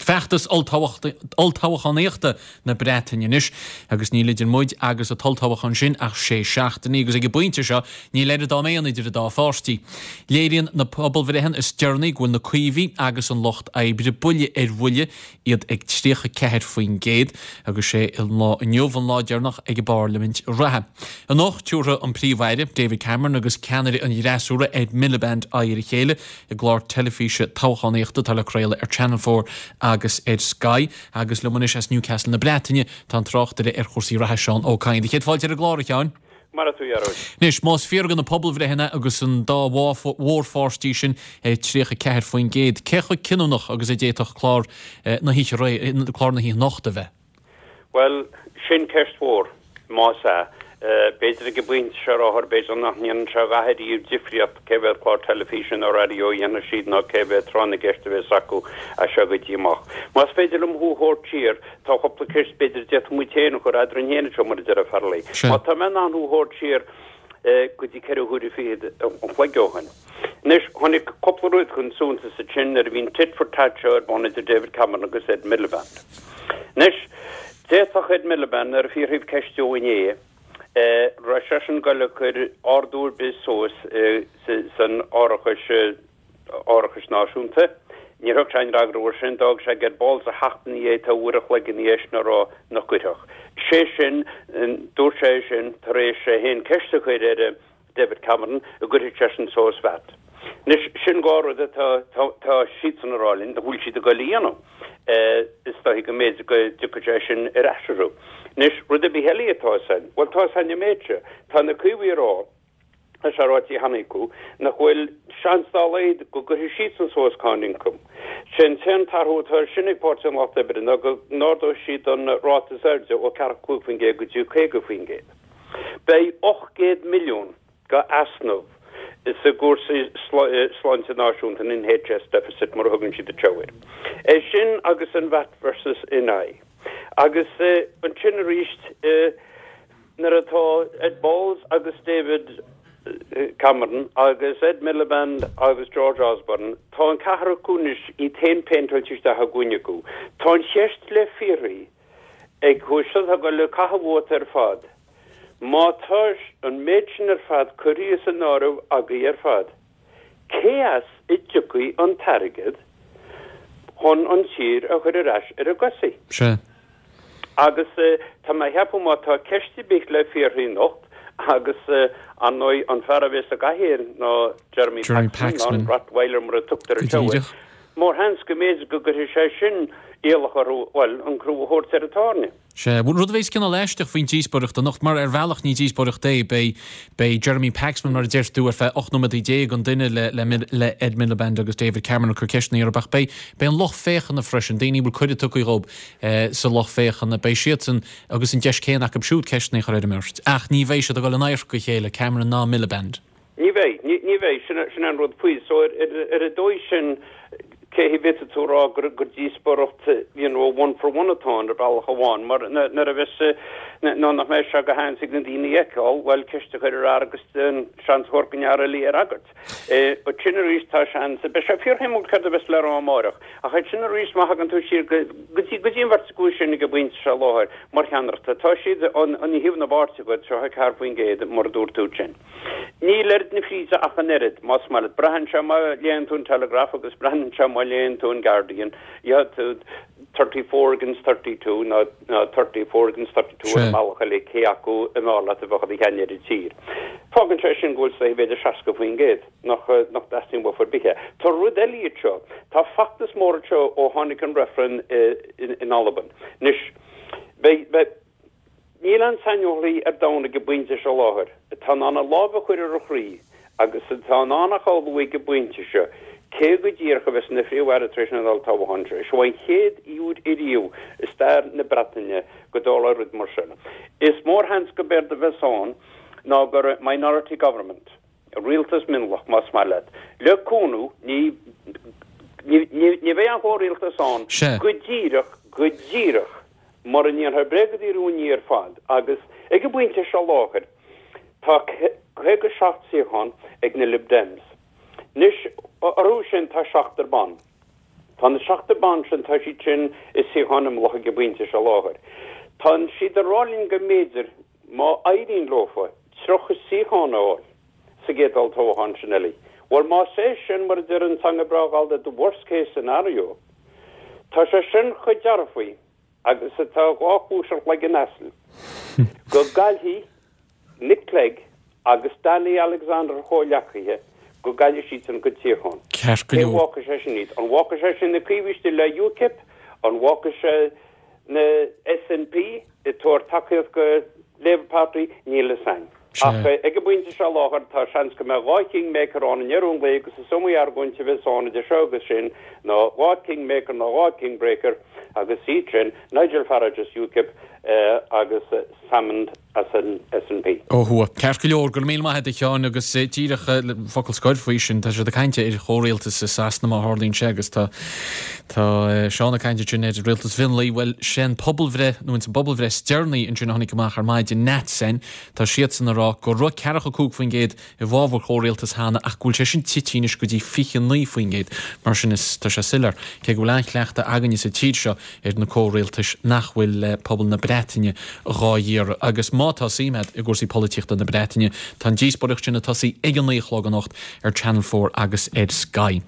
Feachtas olltoghchánaíochta na Breataine anois agus níl idir muid agus an t-olltoghchán sin ach sé seachtainí agus ag an bpointe seo níl oiread am aon idir an dá pháirtí. Léiríonn na pobalbhreitheanna is deireanaí go bhfuil na Caomhaigh agus an Lucht Oibre buille ar bhuille, iad ag 34% agus sé an lá inniu an lá deireanach ag an bparlaimint reatha. Anocht tabharfaidh an Príomh-Aire, David Cameron agus ceannaire an fhreasúra, Ed Miliband aghaidh ar a chéile i gclár teilifíse toghchánaíochta atá le craoladh ar Channel 4 agus ar Sky. Agus liom anois as Newcastle na Breataine tá an tráchtaire ar chúrsaí reatha Seán Ó Cadhain. Do chéad fáilte ar an gclár, a Sheáin. Maire thú, a Ghearóid. Anois, más fíor do na pobalbhreitheanna agus an dá mhórpháirtí sin ag 34%, cé chomh cinniúnach agus a d'fhéadfadh clár na hoíche, clár na hoíche anocht a bheith? Bhuel, sin ceist mhór, más ea. B'fhéidir ag an bpointe seo ar láthair, b'fhéidir nach ndéanann sé a dhath ariamh difríocht cé mhéad clár teilifíse nó raidió a dhéanfaidh siad ná cé mhéad tráth na gceist a bheas acu as seo go dtí amach. Más féidir liom thú a thabhairt siar, tá cúpla ceist b'fhéidir a d'fhéadfadh muid féin a chur eadrainn féin anseo, mar a deir Farrelly. Má tá mé in ann thú a thabhairt siar go dtí ceithre huaire fichead an chloig ó shin. Anois, tháinig cúpla rud chun suntais ansin nuair a bhí an tit for tat seo ar bun idir David Cameron agus Ed Miliband. Anois, d'fhéadfadh Ed Miliband, nuair a fiafraíodh ceist dó inné, raibh seisean ag goil a chur ardú ar bith suas san árachas, árachais náisiúnta. Níor thug sé aon fhreagra air sin, d'fhág sé ag Ed Balls a theacht ina dhiaidh tá uair a chloig ina dhiaidh sin a rá nach gcuirfeadh. Sé sin, dúirt sé é sin tar éis é féin ceist a chur ar David Cameron an gcuirfeadh seisean suas VAT. Anois, sin dhá rud atá, tá siadsan a rá linn nach bhfuil siad ag goil a dhéanamh. Is dóichí go mb'fhéidir go dtiocfaidh sé sin ar ais orthu. Anois, rud ar bith eile atá fhios a'inn, bhuel, tá fhios a'inn an méid seo, tá na Caomhaigh a rá, tá sé ráite cheana acu, nach bhfuil seans dá laghad go gcuirfidh siadsan suas cáin ioncaim. Sé an t-aon t-athrú atá air sin ag Páirtí an Lucht Oibre ná go n-ardóidh siad an ráta is airde ó 45% go dtí 50%. Beidh 800 milliún go easnamh sa gcúrsaí sláinte náisiúnta, an NHS deficit mar a thugann siad anseo air. É sin agus an VAT versus NI. Agus ansin arís, Nuair atá Ed Balls agus David Cameron agus Ed Miliband agus George Osborne, tá an ceathrar acu anois iad féin péinteáilte isteach i gcúinne acu. Tá an cheist le fiafraí ag seo atá ag goil ag caitheamh vóta ar fad. Má tá an méid sin ar fad curtha san áireamh agaibh ar fad, cé as a dtiocfaidh an t-airgead chun an tír a chur ar ais ar a gcosaí? Sea. Agus tá mé a cheapadh má tá ceist ar bith le fiafraí anocht, agus ar ndóigh an fear a bheas sa gcathaoir ná Jeremy Paxman, an Rottweiler mar a tugtar anseo air, mórsheans go mb'fhéidir go gcuirfidh sé sin iallach orthu, bhuel, an crú a thabhairt ar an tairne. Sea, bhuel, rud a bheas cineál aisteach faoin díospóireacht anocht, mar ar bhealach ní díospóireacht é, beidh, beidh Jeremy Paxman, mar a deir tú, ar feadh 18 nóiméad an duine le, le, le Ed Miliband agus David Cameron ag cur ceisteanna orthu, ach beidh, beidh an lucht féachana freisin, daoine a bhfuil cuireadh tugtha dhóibh sa lucht féachana, beidh siadsan agus an deis céanna acu siúd ceisteanna a chur ar an mbeirt, ach ní bheidh siad ag dul in adharca a chéile, Cameron ná Miliband. Ní bheidh, ní bheidh, sin sin an rud faoi. So ar ar an dóigh sin, cé hé bhféadfadh tú a rá gur gur díospóireacht you know one for one atá ann ar bhealach amháin, mar nuair a bheas nó nach mbeidh sé go han ag na daoine a fheiceáil, bhuel ceist a chur ar fhear agus an seans a thabhairt don fhear eile í a fhreagairt. Ansin arís tá seans, beidh sé fíorshuimiúil céard a bheas le rá amáireach, ach ansin arís má thagann tú siar go go dtí go dtí an bheirt acu sin ag an bpointe seo i láthair mar cheannaireachta, tá siad an an thaobh na bpáirtí acu 34% mar a dúirt tú ansin. Níl oiread na fríde ach an oiread, más maith leat. Braitheann sé má léann tú an Telegraph agus braitheann sé má léann tú an Guardian. Gheobhaidh tú 34 against 32 nó 34 against 32 ar an mbealach eile cé acu ab fhearr leat a bheadh ina cheann ar an tír. Fágann sé sin go bhfuil sa b'fhéidir 60% nach nach dteastaíonn uafa ar bith é. Tá rud eile anseo. Tá feachtas mór anseo ó tháinig an reifreann in Albain. Anois, beidh, beidh, Níl aon saineolaí ar domhan ag an bpointe seo i láthair atá in ann a lámh a chur ar a chroí agus atá in ann a shamhlú ag an bpointe seo cé go díreach a bheas ina Phríomh-Aire tar éis an olltoghcháin seo. Seo an chéad uair ariamh i stair na Breataine go dtarlóidh rud mar sin. Is mórsheans go b'éard a bheas ann ná gur minority government, rialtas mionlach, más maith leat, le cúnamh, ní, ní, ní bheidh aon chomhrialtas ann go díreach, go díreach. Mura ndéanfar bréag de rúin ar fad, agus ag an bpointe seo i láthair, tá 57 suíochán ag na Lib Dems. Anois, orthu sin tá seachtar ban. Tá na seachtar ban sin, tá siad sin i suíocháin imeallacha ag an bpointe seo láthair. Tá siad ag rá linn go mb'fhéidir, má éiríonn leofa, 30 suíochán a fháil sa gcéad olltoghchán sin eile. Bhuel, más é sin, mar a deir an teanga breá Ghallda, the worst case scenario, tá sé sin chomh dearfaí agus atá dhá chluais ar chloigeann asail, go gcaillfidh Nick Clegg agus Danny Alexander a chomhghleacaithe, go gcaillfidh siadsan a gcuid suíochán. Ceart go Cé leor. bhfágfaidh sé sin iad? An bhfágfaidh sé sin na Caomhaigh istigh le UKIP? An bhfágfaidh sé na SNP ag tabhairt tacaíocht go Labour Party? Níl fhios a'inn. Sea. Ach ag an bpointe seo láthair tá seans go mbeidh dhá kingmaker ann i ndeireadh an lae agus is iomaí argóint a bheas ann idir seo agus sin ná dhá kingmaker nó dhá kingbreaker agus iad sin, Nigel Farage as UKIP agus Salmond as an SNP. Ó thuaidh. Ceart go leor, go raibh míle maith agat a Sheáin agus díreach focal scoir faoi sin, tá siad ag caint ar chomhrialtas i Sasana má tharlaíonn sé agus tá tá Seán ag caint ansin ar rialtas mhionlaigh, bhuel sé an pobalbhreith nó ins an bpobalbhreith is deireanaí ansin a tháinig amach ar maidin, NatCen, tá siadsan ag rá go raibh 45% i bhfabhar chomhrialtas cheana ach go bhfuil sé sin tite anois go dtí 29%. Mar sin is tá sé soiléir, cé go bhfuil an-chleachtadh againne sa tír seo ar na comhrialtais, nach bhfuil pobal na Breataine dhá iarraidh. Agus má tá suim agat i gcúrsaí polaitíochta na Breataine, tá an díospóireacht sin ag tosaí ag a naoi a chlog anocht ar Channel 4 agus ar Sky.